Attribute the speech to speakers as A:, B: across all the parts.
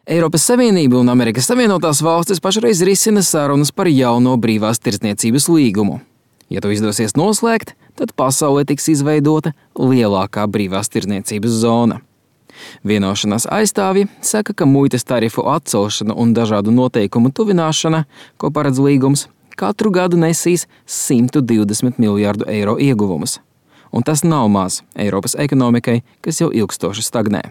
A: Eiropas Savienība un Amerikas Savienotās valstis pašreiz risina sarunas par jauno brīvās tirdzniecības līgumu. Ja to izdosies noslēgt, tad pasaulē tiks izveidota lielākā brīvās tirdzniecības zona. Vienošanās aizstāvji saka, ka muitas tarifu atcelšana un dažādu noteikumu tuvināšana, ko paredz līgums, katru gadu nesīs 120 miljārdu eiro ieguvumus. Un tas nav maz Eiropas ekonomikai, kas jau ilgstoši stagnē.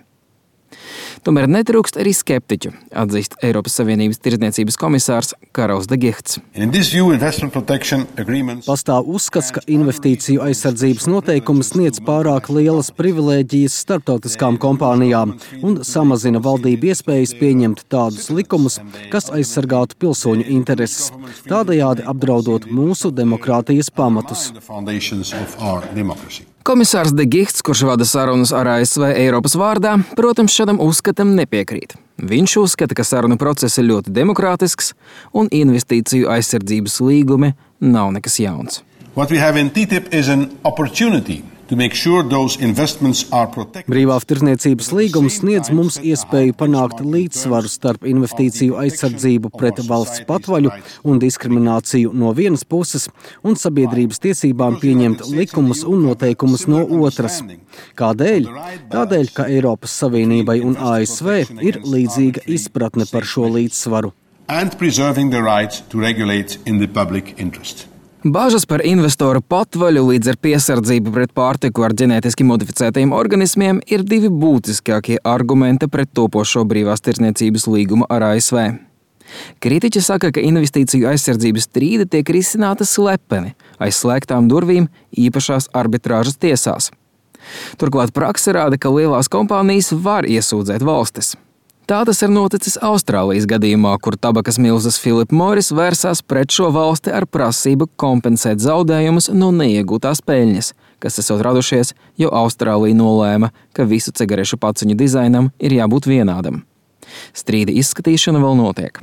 A: Tomēr netrūkst arī skeptiķu, atzīst Eiropas Savienības tirdzniecības komisārs Karels de Guihts.
B: Pastāv uzskats, ka investīciju aizsardzības noteikumi sniedz pārāk lielas privilēģijas starptautiskām kompānijām un samazina valdību iespējas pieņemt tādus likumus, kas aizsargātu pilsoņu intereses, tādējādi apdraudot mūsu demokrātijas pamatus.
A: Komisārs de Guihts, kurš vada sarunas ar ASV Eiropas vārdā, protams, šādam uzskatam nepiekrīt. Viņš uzskata, ka sarunu process ir ļoti demokrātisks un investīciju aizsardzības līgumi nav nekas jauns.
B: Brīvā tirdzniecības līgums sniedz mums iespēju panākt līdzsvaru starp investīciju aizsardzību pret valsts patvaļu un diskrimināciju no vienas puses un sabiedrības tiesībām pieņemt likumus un noteikumus no otras. Kādēļ? Tādēļ, ka Eiropas Savienībai un ASV ir līdzīga izpratne par šo līdzsvaru.
A: Bāžas par investoru patvaļu līdz ar piesardzību pret pārtiku ar ģenētiski modificētajiem organismiem ir divi būtiskākie argumenti pret topošo brīvās tirdzniecības līgumu ar ASV. Kritiķi saka, ka investīciju aizsardzības strīdi tiek risināta slepeni, aiz slēgtām durvīm īpašās arbitrāžas tiesās. Turklāt prakse rāda, ka lielās kompānijas var iesūdzēt valstis. Tā tas ir noticis Austrālijas gadījumā, kur tabakas milzas Philip Morris vērsās pret šo valsti ar prasību kompensēt zaudējumus no neiegūtās peļņas, kas esot radušies, jo Austrālija nolēma, ka visu cigarešu paciņu dizainam ir jābūt vienādam. Strīda izskatīšana vēl notiek.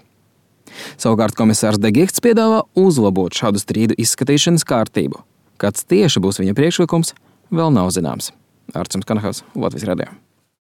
A: Savukārt komisārs de Guihts piedāvā uzlabot šādu strīdu izskatīšanas kārtību. Kāds tieši būs viņa priekšlikums, vēl nav zināms. Artjums Kanahavs, Latvijas radio.